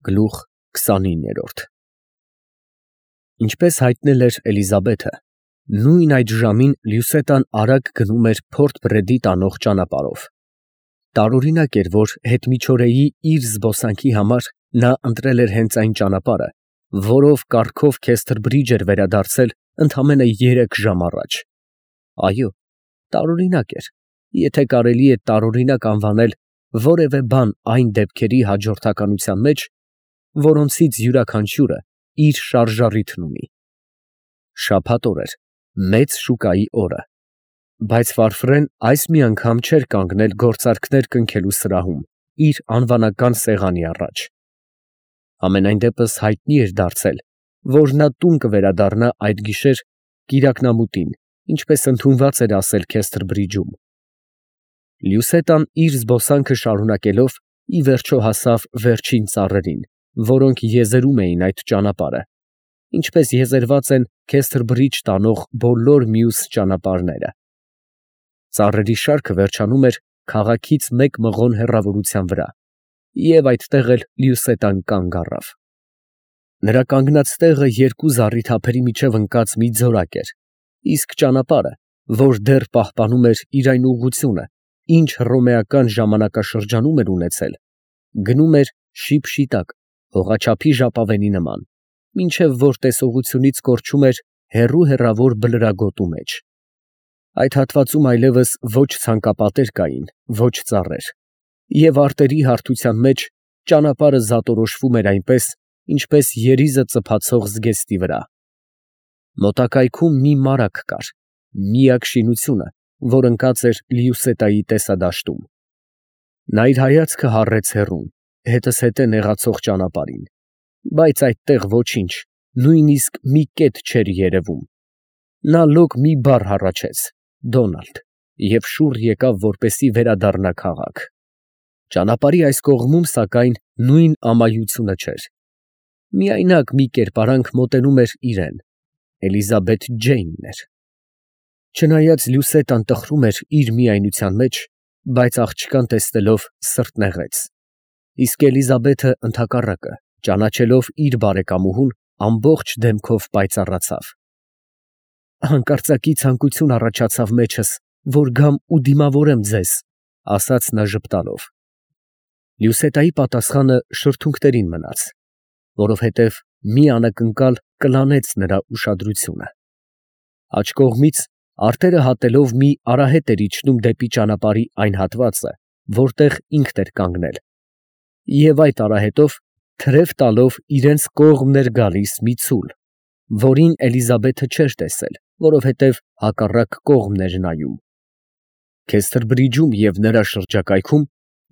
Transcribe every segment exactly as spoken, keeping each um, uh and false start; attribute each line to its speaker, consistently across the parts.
Speaker 1: Գլուխ քսանինը Ինչպես հայտնել էր Էլիզաբեթը, նույն այդ ժամին Լյուսետան արագ գնում էր Փորտ Բրեդի տանող ճանապարհով. տարօրինակ էր, որ հետմիջօրեի իր զբոսանքի համար նա ընտրել էր հենց այն ճանապարհը, որով կառքով Քեսթրբրիջ էր վերադարձել ընդամենը երեք ժամ առաջ։ Այո, տարօրինակ էր, եթե կարելի է տարօրինակ անվանել որևէ բան այն դեպքերի հաջորդականության մեջ, որոնցից յուրաքանչյուրը իր շարժառիթն ունի։ Շաբաթ օր էր, մեծ շուկայի օրը, բայց Վարֆրեն այս մի անգամ չէր կանգնել գործարքներ կնքելու սրահում իր անվանական սեղանի առաջ։ Համենայն դեպս հայտնի էր դարձել, որ նա տուն կվերադառնա այդ գիշեր կիրակնամուտին, ինչպես ընդունված էր ասել Քեսթրբրիջում։ Լյուսետան իր զբոսանքը շարունակելով ի վերջո հասավ վերջին ծառերին, որոնք եզերում էին այդ ճանապարհը, ինչպես եզերված են Քեսթրբրիջ տանող բոլոր մյուս ճանապարհները։ Ծառերի շարքը վերջանում էր քաղաքից մեկ մղոն հեռավորության վրա, և այդտեղ էլ Լյուսետան կանգ առավ։ Նրա կանգնած տեղը երկու զառիթափերի միջև ընկած մի ձորակ էր, իսկ ճանապարհը, որ դեռ պահպանում էր իր այն ուղղությունը, ինչ հռոմեական ժամանակաշրջանում էր ունեցել, գնում էր շիպշիտակ, հողաչափի ժապավենի նման, մինչև որ տեսողությունից կորչում էր հեռու֊հեռավոր բլրագոտու մեջ։ Այդ հատվածում այլևս ոչ ցանկապատեր կային, ոչ ծառեր, և արտերի հարթության մեջ ճանապարհը զատորոշվում էր այնպես, ինչպես երիզը ծփացող զգեստի վրա։ Մոտակայքում մի մարագ կար, միակ շինությունը, որ ընկած էր Լյուսետայի տեսադաշտում։ Նա իր հայացքը հառեց հեռուն, հետզհետե նեղացող ճանապարհին, բայց այդտեղ ոչինչ, նույնիսկ մի կետ չէր երևում։ Նա լոկ մի բառ հառաչեց. «Դոնալդ» և շուռ եկավ, որպեսզի վերադառնա քաղաք։ Ճանապարհի այս կողմում, սակայն, նույն ամայությունը չէր։ Միայնակ մի կերպարանք մոտենում էր իրան. Էլիզաբեթ Ջեյնն էր։ Չնայած Լյուսետան տխրում էր իր միայնության մեջ, բայց աղջկան տեսնելով սրտն նեղեց։ Իսկ Էլիզաբեթը, ընդհակառակը, ճանաչելով իր բարեկամուհուն, ամբողջ դեմքով պայծառացավ։ «Հանկարծակի ցանկություն առաջացավ մեջս, որ գամ ու դիմավորեմ ձեզ», ֊ ասաց նա ժպտալով։ Լյուսետայի պատասխանը շրթունքներին մնաց, որովհետև մի անակնկալ կլանեց նրա ուշադրությունը։ Աջ կողմից արտերը հատելով մի արահետ էր իջնում դեպի ճանապարհի այն հատվածը, որտեղ ինքն էր կանգնել, և այդ արահետով թրև տալով իրենց կողմն էր գալիս մի ցուլ, որին Էլիզաբեթը չէր տեսել, որովհետև հակառակ կողմն էր նայում։ Քեսթրբրիջում և նրա շրջակայքում,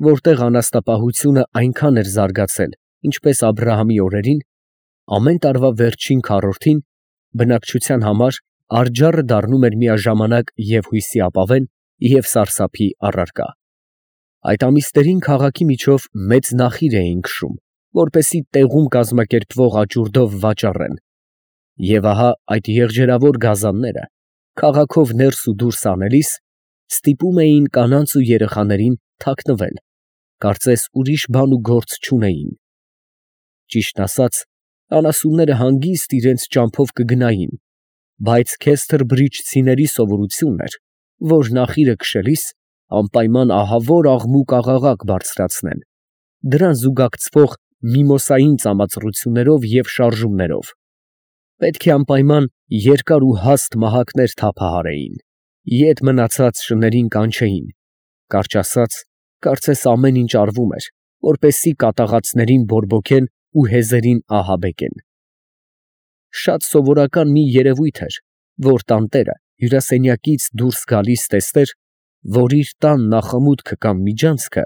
Speaker 1: որտեղ անասնապահությունը այնքան էր զարգացել, ինչպես Աբրահամի օրերին, ամեն տարվա վերջին քառորդին բնակչության համար արջառը դառնում էր միաժամանակ և հույսի ապավեն, և սարսափի առարկա։ Այդ ամիսներին քաղաքի միջով մեծ նախիր էին քշում, որպեսզի տեղում կազմակերպվող աճուրդով վաճառեն, և ահա այդ եղջերավոր գազանները, քաղաքով ներս ու դուրս անելիս, ստիպում էին կանանց ու երեխաներին թաքնվել, կարծես ուրիշ բան ու գործ չունեին։ Ճիշտն ասած, անասունները հանգիստ իրենց ճամփով կգնային, բայց քեսթրբրիջցիների սովորությունն էր, որ նախիրը քշելիս անպայման ահավոր աղմուկ֊աղաղակ բարձրացնեն, դրան զուգակցվող միմոսային ծամացռություններով և շարժումներով։ Պետք է անպայման երկար ու հաստ մահակներ թափահարեին, ետ մնացած շներին կանչեին, կարճ ասած, կարծես ամեն ինչ արվում էր, որպեսզի կատաղածներին բորբոքեն ու հեզերին ահաբեկեն։ Շատ սովորական մի երևույթ էր, որ տանտերը հյուրասենյակից դուրս գալիս տեսներ, որ իր տան նախամուտքը կամ միջանցքը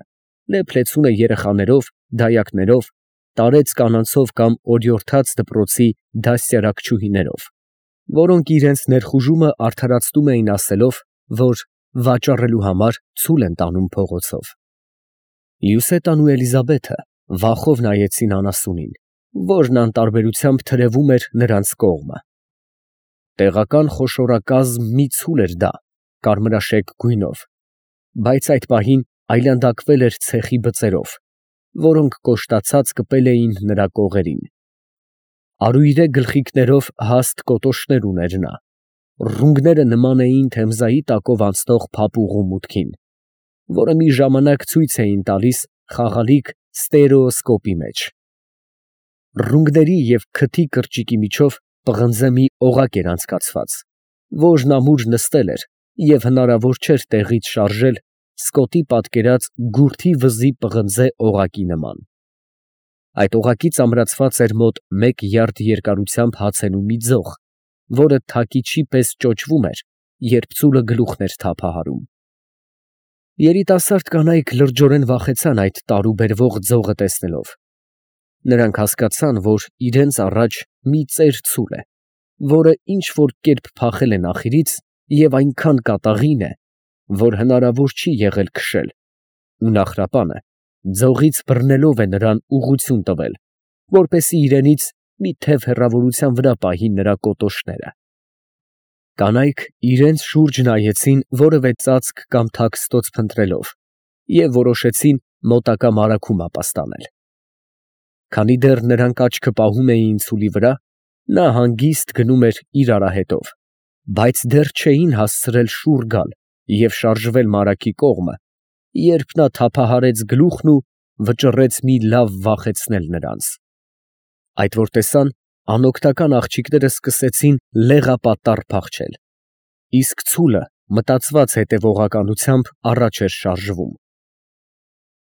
Speaker 1: լեփ֊լեցուն է երեխաներով, դայակներով, տարեց կանանցով կամ օրիորդաց դպրոցի դաստիարակչուհիներով, որոնք իրենց ներխուժումը արդարացնում էին ասելով, որ վաճառելու համար ցուլ են տանում փողոցով։ Լյուսետան ու Էլիզաբեթը վախով նայեցին անասունին, որն անտարբերությամբ թրևում էր նրանց կողմը։ Տեղական խոշորակազմ մի ցուլ էր դա, կարմրաշեկ գույնով, բայց այդ պահին այլանդակվել էր ցեխի բծերով, որոնք կոշտացած կպել էին նրա կողերին։ Արույրե գլխիկներով հաստ կոտոշներ ուներ նա, ռունգները նման էին Թեմզայի տակով անցնող փափուղու մուտքին, որը մի ժամանակ ցույց էին տալիս խաղալիք ստերեոսկոպի մեջ։ Ռունգների և քթի կրճիկի միջով պղնձե մի օղակ էր անցկացված, որն ամուր նստել էր և հնարավոր չէր տեղից շարժել Սկոտի պատկերած գուրթի վզի պղնձե օղակի նման։ Այդ օղակից ամրացված էր մոտ մեկ յարդ երկարությամբ հացենու մի ձող, որը թակիչի պես ճոճվում էր, երբ ծուլը գլուխն էր թափահարում։ Երիտասարդ կանայք լրջորեն վախեցան այդ տարուբերվող ձողը տեսնելով։ Նրանք հասկացան, որ իրենց առաջ մի ծեր ցուլ է, որը ինչ֊որ կերպ փախել է նախիրից և այնքան կատաղին է, որ հնարավոր չի եղել քշել, ու նախրապանը ձողից բռնելով է նրան ուղղություն տվել, որպեսզի իրենից մի թև հեռավորության վրա պահի նրա կոտոշները։ Կանայք իրենց շուրջ նայեցին որևէ ծածկ կամ թաքստոց փնտրելով և որոշեցին մոտակա մարագում ապաստանել։ Քանի դեռ նրանք աչքը պահում էին ցուլի վրա, նա հանգիստ գնում էր իր արահետով, բայց դեռ չէին հասցրել շուռ գալ և շարժվել մարագի կողմը, երբ նա թափահարեց գլուխն ու վճռեց մի լավ վախեցնել նրանց։ Այդ որ տեսան, անօգնական աղջիկները սկսեցին լեղապատառ փախչել, իսկ ցուլը մտածված հետևողականությամբ առաջ էր շարժվում։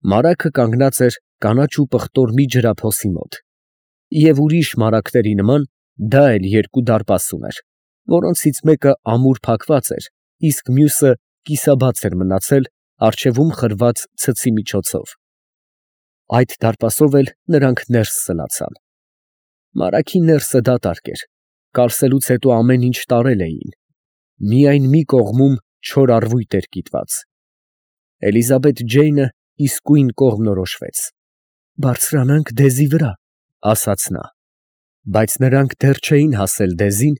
Speaker 1: Մարագը կանգնած էր կանաչ ու պղտոր մի ջրափոսի մոտ, և ուրիշ մարագների նման դա էլ երկու դարպաս ուներ, որոնցից մեկը ամուր փակված էր, իսկ մյուսը կիսաբաց էր մնացել առջևում խրված ցցի միջոցով։ Այդ դարպասով էլ նրանք ներս սլացան։ Մարագի ներսը դատարկ էր, կարսելուց հետո ամեն ինչ տարել էին, միայն մի կողմում չոր առվույտ էր կիտված։ Էլիզաբեթ Ջեյնը իսկույն կողմնորոշվեց։ «Բարձրանանք դեզի վրա», ֊ ասաց նա։ Բայց նրանք դեռ չէին հասել դեզին,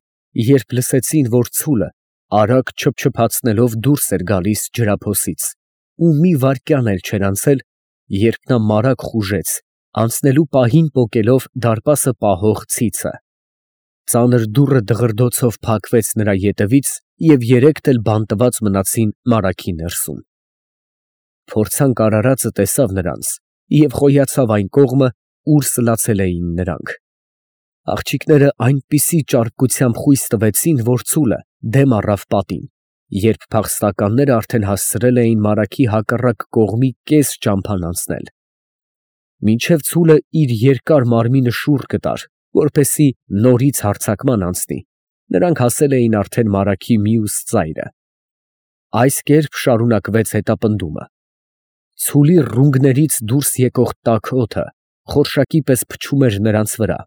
Speaker 1: երբ լսեցին, որ ցուլը արագ չփչփացնելով դուրս էր գալիս ջրափոսից, ու մի վայրկյան էլ չէր անցել, երբ նա մարագ խուժեց, անցնելու պահին պոկելով դարպասը պահող ցիցը։ Ծանր դուռը դղրդոցով փակվեց նրա ետևից, և երեքդ էլ բանտված մնացին մարագի ներսում։ Փորձանք արարածը տեսավ նրանց և խոյացավ այն կողմը, ուր սլացել էին նրանք։ Աղջիկները այնպիսի ճարպկությամբ խույս տվեցին, որ ցուլը դեմ առավ պատին, երբ փախստականները արդեն հասցրել էին մարագի հակառակ կողմի կես ճամփան անցնել։ Մինչև ցուլը իր երկար մարմինը շուռ կտար, որպեսզի նորից հարձակման անցնի, նրանք հասել էին արդեն մարագի մյուս ծայրը։ Այս կերպ շարունակվեց հետապնդումը։ Ցուլի ռունգներից դուրս եկող տաք օդը խորշակի պես փչում էր նրանց վրա,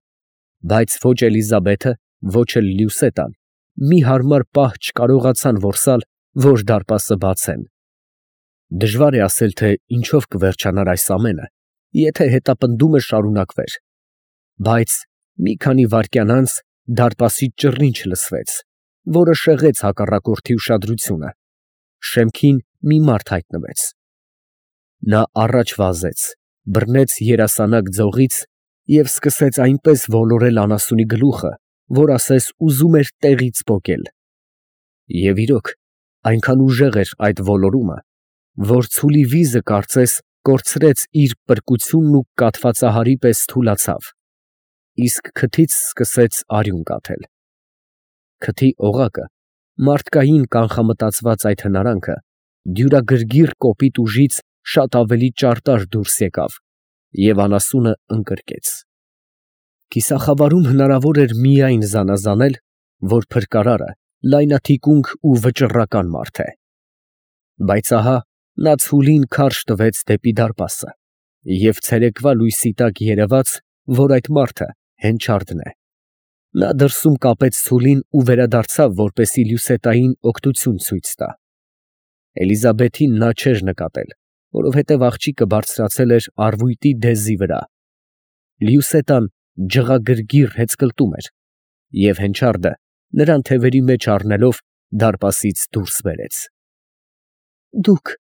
Speaker 1: բայց ոչ Էլիզաբեթը, ոչ էլ Լյուսետան մի հարմար պահ չկարողացան որսալ, որ դարպասը բացեն։ Դժվար է ասել, թե ինչով կվերջանար այս ամենը, եթե հետապնդումը շարունակվեր, բայց մի քանի վայրկյան անց դարպասից ճռինչ լսվեց, որը շեղեց հակառակորդի ուշադրությունը։ Շեմքին մի մարդ հայտնվեց։ Նա առաջ վազեց, բռնեց երասանակ ձողից և սկսեց այնպես ոլորել անասունի գլուխը, որ ասես ուզում էր տեղից պոկել։ Եվ իրոք, այնքան ուժեղ էր այդ ոլորումը, որ ցուլի վիզը կարծես կորցրեց իր պրկությունն ու կաթվածահարի պես թուլացավ, իսկ քթից սկսեց արյուն կաթել։ Քթի օղակը, մարդկային կանխամտածված այդ հնարանքը, դյուրագրգիռ կոպիտ ուժից շատ ավելի ճարտար դուրս եկավ և անասունը ընկրկեց։ Կիսախավարում հնարավոր էր միայն զանազանել, որ փրկարարը լայնաթիկունք ու վճռական մարդ է։ Բայց ահա նա ցուլին քարշ տվեց դեպի դարպասը, և ցերեկվա լույսի տակ երևաց, որ այդ մարդը հենչարդն է։ Նա դրսում կապեց ցուլին ու վերադարձավ, որպեսզի Լյուսետային օգնություն ցույց տա։ Էլիզաբեթին նա չէր նկատել, որովհետև աղջիկը բարձրացել էր առվույտի դեզի վրա։ Լյուսետան ջղագրգիռ հեծկլտում էր, և հենչարդը նրան թևերի մեջ առնելով դարպասից դուրս բերեց։ ֊ Դուք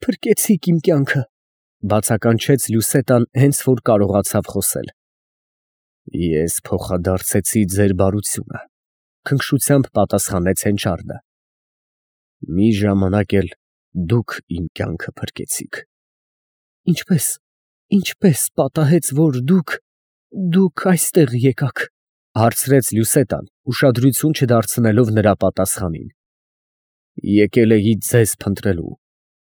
Speaker 1: փրկեցիք իմ կյանքը, Բացականչեց Լյուսետան, հենց որ կարողացավ խոսել։ Ես փոխադարձեցի ձեր բարությունը, քնքշությամբ պատասխանեց հենչարդը։ Մի ժամանակ էլ դուք իմ կյանքը փրկեցիք։ Ինչպես, ինչպես պատահեց, որ դուք, դուք այստեղ եկաք, հարցրեց Լյուսետան, ուշադրություն չդարձնելով նրա պատասխանին։ Եկել էի ձեզ փնտրելու։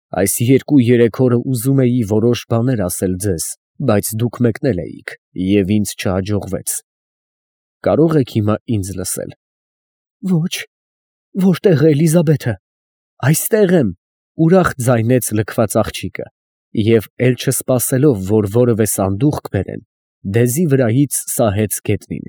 Speaker 1: Այս երկու֊երեք օրը ուզում էի որոշ բաներ ասել ձեզ, բայց դուք մեկնել էիք, և ինձ չհաջողվեց։ Կարող եք հիմա ինձ լսել։ Ոչ, որտե՞ղ է Էլիզաբեթը։ Այստեղ եմ, ուրախ ձայնեց լքված աղջիկը, և էլ չսպասելով, որ որևէ սանդուղք բերեն, դեզի վրայից սահեց գետնին։